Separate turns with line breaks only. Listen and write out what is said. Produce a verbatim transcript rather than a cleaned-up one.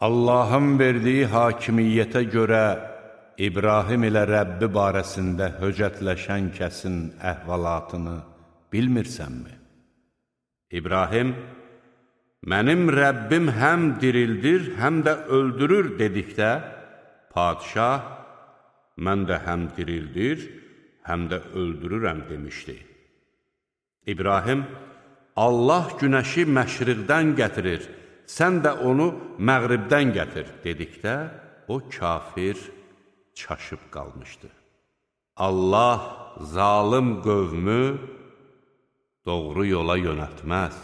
Allahın verdiyi hakimiyyətə görə İbrahim ilə Rəbbi barəsində höcətləşən kəsin əhvalatını bilmirsənmi? İbrahim, mənim Rəbbim həm dirildir, həm də öldürür dedikdə, padişah, mən də həm dirildir, həm də öldürürəm demişdi. İbrahim, Allah günəşi məşriqdən gətirir, sən də onu məğribdən gətir dedikdə, o kafir çaşıb qalmışdı. Allah zalım qövmü doğru yola yönəltməz.